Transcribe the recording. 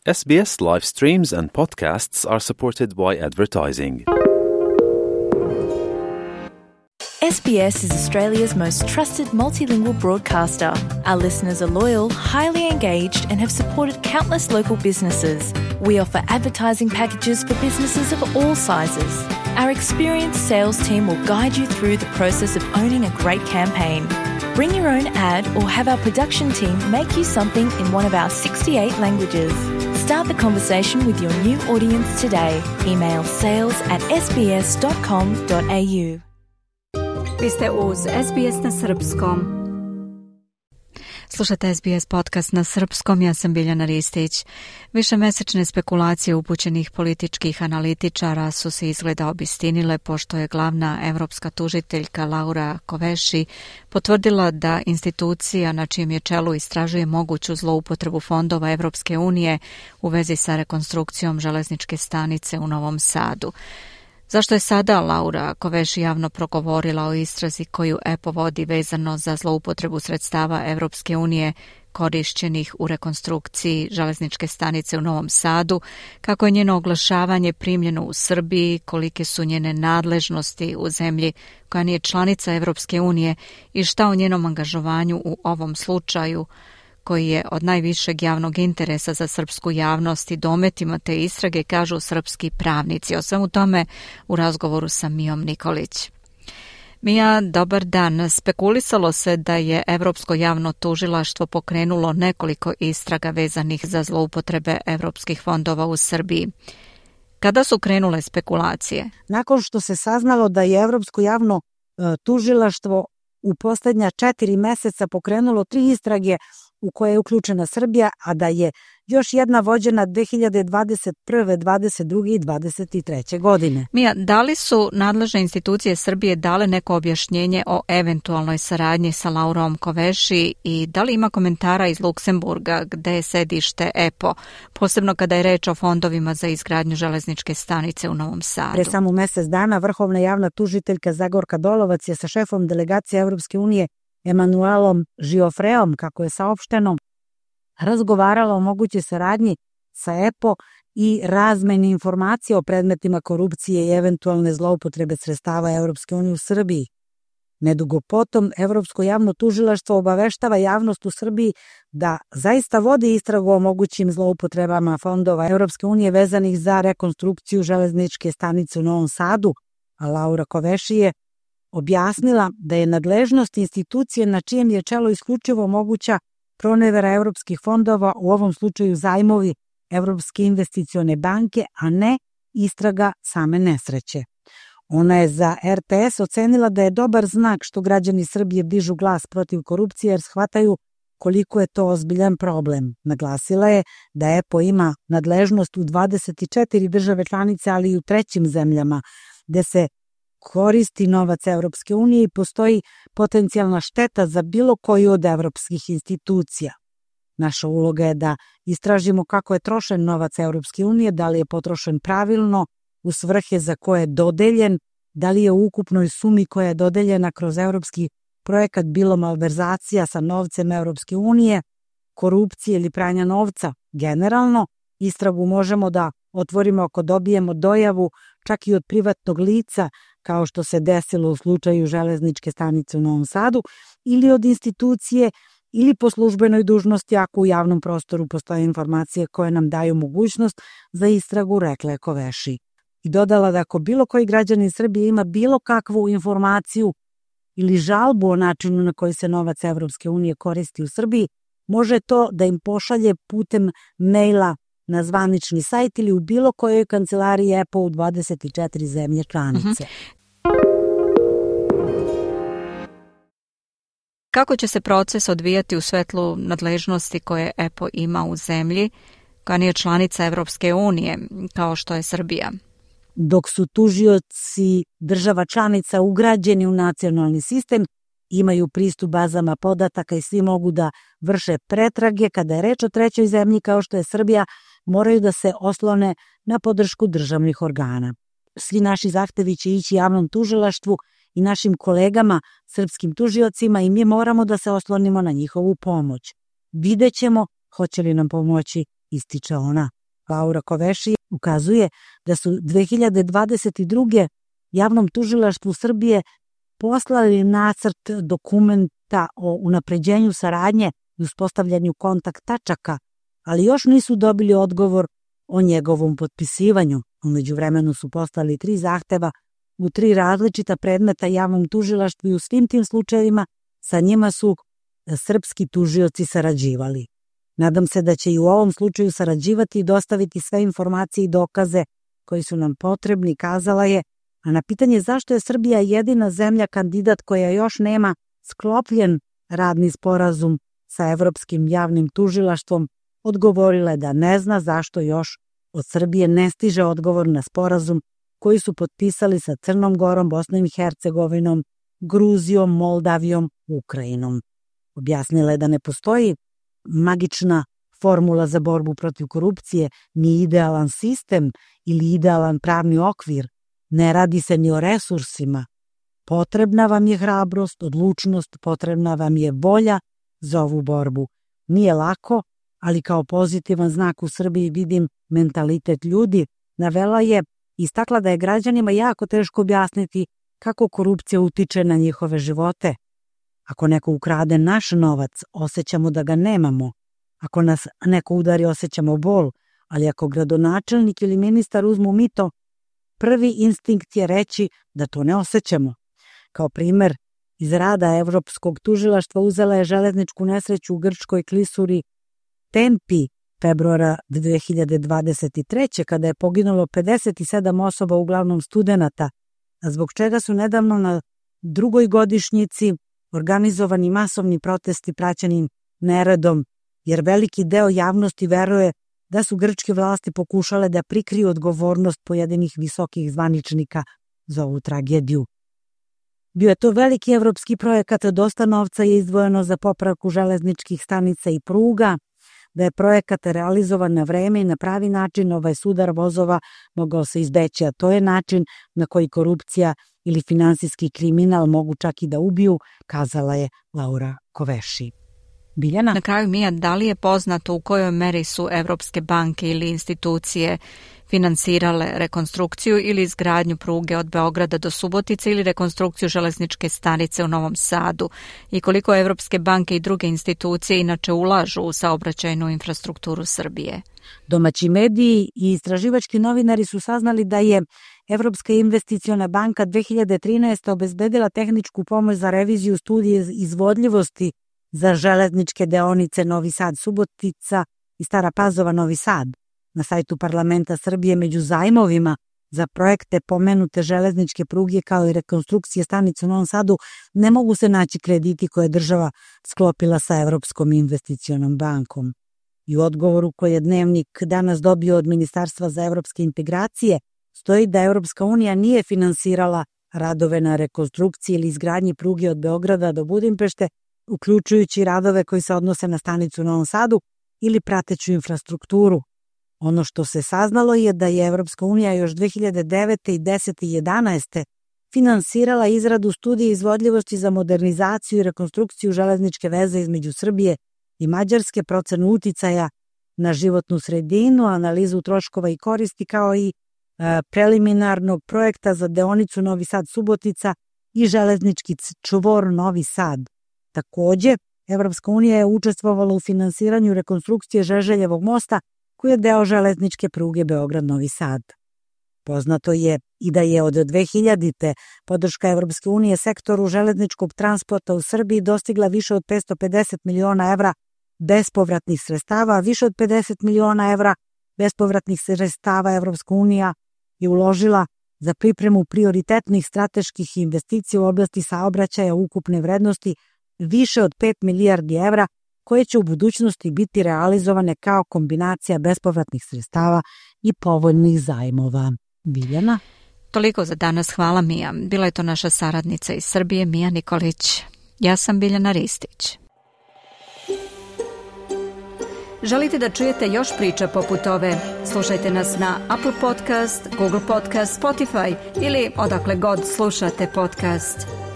SBS live streams and podcasts are supported by advertising. SBS is Australia's most trusted multilingual broadcaster. Our listeners are loyal, highly engaged, and have supported countless local businesses. We offer advertising packages for businesses of all sizes. Our experienced sales team will guide you through the process of owning a great campaign. Bring your own ad or have our production team make you something in one of our 68 languages. Start the conversation with your new audience today. Email sales@sbs.com.au. Vi ste uz SBS na srpskom. Slušate SBS podcast na srpskom, ja sam Biljana Ristić. Višemesečne spekulacije upućenih političkih analitičara su se izgleda obistinile pošto je glavna evropska tužiteljka Laura Kövesi potvrdila da institucija na čijem je čelu istražuje moguću zloupotrebu fondova Evropske unije u vezi sa rekonstrukcijom železničke stanice u Novom Sadu. Zašto je sada Laura Kövesi javno progovorila o istrazi koju EPO vodi vezano za zloupotrebu sredstava Evropske unije korišćenih u rekonstrukciji železničke stanice u Novom Sadu, kako je njeno oglašavanje primljeno u Srbiji, kolike su njene nadležnosti u zemlji koja nije članica Evropske unije i šta o njenom angažovanju u ovom slučaju koji je od najvišeg javnog interesa za srpsku javnost i dometima te istrage, kažu srpski pravnici. O svemu tome u razgovoru sa Mijom Nikolić. Mija, dobar dan. Spekulisalo se da je Evropsko javno tužilaštvo pokrenulo nekoliko istraga vezanih za zloupotrebe evropskih fondova u Srbiji. Kada su krenule spekulacije? Nakon što se saznalo da je Evropsko javno tužilaštvo u posljednja 4 meseca pokrenulo 3 istrage u koje je uključena Srbija, a da je još jedna vođena 2021., 22. i 23. godine. Mija, da li su nadležne institucije Srbije dale neko objašnjenje o eventualnoj saradnji sa Laurom Kövesi i da li ima komentara iz Luksemburga gde je sedište EPO, posebno kada je reč o fondovima za izgradnju železničke stanice u Novom Sadu? Pre samo mesec dana vrhovna javna tužiteljka Zagorka Dolovac je sa šefom delegacije Evropske unije Emanuelom Žiofreom, kako je saopšteno, razgovarala o mogućoj saradnji sa EPO i razmeni informacija o predmetima korupcije i eventualne zloupotrebe sredstava Evropske unije u Srbiji. Nedugo potom, Evropsko javno tužilaštvo obaveštava javnost u Srbiji da zaista vodi istragu o mogućim zloupotrebama fondova Evropske unije vezanih za rekonstrukciju železničke stanice u Novom Sadu, a Laura Kövesi je objasnila da je nadležnost institucije na čijem je čelu isključivo moguća pronevera evropskih fondova, u ovom slučaju zajmovi Evropske investicione banke, a ne istraga same nesreće. Ona je za RTS ocenila da je dobar znak što građani Srbije dižu glas protiv korupcije jer shvataju koliko je to ozbiljan problem. Naglasila je da EPO ima nadležnost u 24 države članice, ali i u trećim zemljama, gde se koristi novac Evropske unije i postoji potencijalna šteta za bilo koju od evropskih institucija. Naša uloga je da istražimo kako je trošen novac Evropske unije, da li je potrošen pravilno, u svrhe za koje je dodeljen, da li je u ukupnoj sumi koja je dodeljena kroz evropski projekat bilo malverzacija sa novcem Evropske unije, korupcije ili pranja novca. Generalno, istragu možemo da otvorimo ako dobijemo dojavu čak i od privatnog lica, kao što se desilo u slučaju železničke stanice u Novom Sadu, ili od institucije ili po službenoj dužnosti ako u javnom prostoru postoje informacije koje nam daju mogućnost za istragu, rekla je Kövesi. I dodala da ako bilo koji građanin Srbije ima bilo kakvu informaciju ili žalbu o načinu na koji se novac Evropske unije koristi u Srbiji, može to da im pošalje putem maila na zvanični sajt ili u bilo kojoj kancelariji EPO u 24 zemlje članice. Kako će se proces odvijati u svetlu nadležnosti koje EPO ima u zemlji koja nije članica Evropske unije, kao što je Srbija? Dok su tužioci država članica ugrađeni u nacionalni sistem, imaju pristup bazama podataka i svi mogu da vrše pretrage, kada je reč o trećoj zemlji kao što je Srbija, moraju da se oslone na podršku državnih organa. Svi naši zahtevi će ići javnom tužilaštvu i našim kolegama, srpskim tužiocima, i mi moramo da se oslonimo na njihovu pomoć. Videćemo hoće li nam pomoći, ističe ona. Laura Koveši, ukazuje da su 2022. javnom tužilaštvu Srbije poslali nacrt dokumenta o unapređenju saradnje i uspostavljanju kontakt tačaka, ali još nisu dobili odgovor o njegovom potpisivanju. U međuvremenu su poslali 3 zahteva u 3 različita predmeta javnom tužilaštvu i u svim tim slučajevima sa njima su srpski tužioci sarađivali. Nadam se da će i u ovom slučaju sarađivati i dostaviti sve informacije i dokaze koji su nam potrebni, kazala je, a na pitanje zašto je Srbija jedina zemlja kandidat koja još nema sklopljen radni sporazum sa Evropskim javnim tužilaštvom, odgovorila je da ne zna zašto još od Srbije ne stiže odgovor na sporazum koji su potpisali sa Crnom Gorom, Bosnom i Hercegovinom, Gruzijom, Moldavijom, Ukrajinom. Objasnila je da ne postoji magična formula za borbu protiv korupcije, ni idealan sistem ili idealan pravni okvir. Ne radi se ni o resursima. Potrebna vam je hrabrost, odlučnost, potrebna vam je volja za ovu borbu. Nije lako, ali kao pozitivan znak u Srbiji vidim mentalitet ljudi. Navela je, istakla da je građanima jako teško objasniti kako korupcija utiče na njihove živote. Ako neko ukrade naš novac, osjećamo da ga nemamo. Ako nas neko udari, osjećamo bol, ali ako gradonačelnik ili ministar uzmu mito, prvi instinkt je reći da to ne osjećamo. Kao primer, iz rada Evropskog tužilaštva uzela je železničku nesreću u grčkoj klisuri Tempi februara 2023. kada je poginulo 57 osoba, uglavnom studenata, a zbog čega su nedavno na 2. godišnjici organizovani masovni protesti praćeni neredom, jer veliki deo javnosti veruje da su grčke vlasti pokušale da prikriju odgovornost pojedinih visokih zvaničnika za ovu tragediju. Bio je to veliki evropski projekat, dosta novca je izdvojeno za popravku železničkih stanica i pruga, da je projekat realizovan na vreme i na pravi način, ovaj sudar vozova mogao se izbeći, a to je način na koji korupcija ili finansijski kriminal mogu čak i da ubiju, kazala je Laura Koveši. Biljana? Na kraju, Mija, da li je poznato u kojoj meri su evropske banke ili institucije finansirale rekonstrukciju ili izgradnju pruge od Beograda do Subotice ili rekonstrukciju železničke stanice u Novom Sadu i koliko evropske banke i druge institucije inače ulažu u saobraćajnu infrastrukturu Srbije? Domaći mediji i istraživački novinari su saznali da je Evropska investiciona banka 2013. obezbedila tehničku pomoć za reviziju studije izvodljivosti za železničke deonice Novi Sad-Subotica i Stara Pazova-Novi Sad. Na sajtu Parlamenta Srbije među zajmovima za projekte pomenute železničke pruge kao i rekonstrukcije stanice u Novom Sadu ne mogu se naći krediti koje je država sklopila sa Evropskom investicionom bankom. I u odgovoru koji je Dnevnik danas dobio od Ministarstva za evropske integracije stoji da Evropska unija nije finansirala radove na rekonstrukciji ili izgradnji pruge od Beograda do Budimpešte, uključujući radove koji se odnose na stanicu u Novom Sadu ili prateću infrastrukturu. Ono što se saznalo je da je Evropska unija još 2009. i 10. i 11. finansirala izradu studije izvodljivosti za modernizaciju i rekonstrukciju železničke veze između Srbije i Mađarske, procenu uticaja na životnu sredinu, analizu troškova i koristi, kao i preliminarnog projekta za deonicu Novi Sad-Subotica i železnički čvor Novi Sad. Takođe, Evropska unija je učestvovala u finansiranju rekonstrukcije Žeželjevog mosta, koji je deo železničke pruge Beograd-Novi Sad. Poznato je i da je od 2000. podrška Evropske unije sektoru železničkog transporta u Srbiji dostigla više od 550 miliona evra bespovratnih sredstava, a više od 50 miliona evra bespovratnih sredstava Evropska unija je uložila za pripremu prioritetnih strateških investicija u oblasti saobraćaja ukupne vrednosti više od 5 milijardi evra, koje će u budućnosti biti realizovane kao kombinacija bespovratnih sredstava i povoljnih zajmova. Biljana? Toliko za danas, hvala Mija. Bila je to naša saradnica iz Srbije, Mija Nikolić. Ja sam Biljana Ristić. Želite da čujete još priča poput ove? Slušajte nas na Apple Podcast, Google Podcast, Spotify ili odakle god slušate podcast.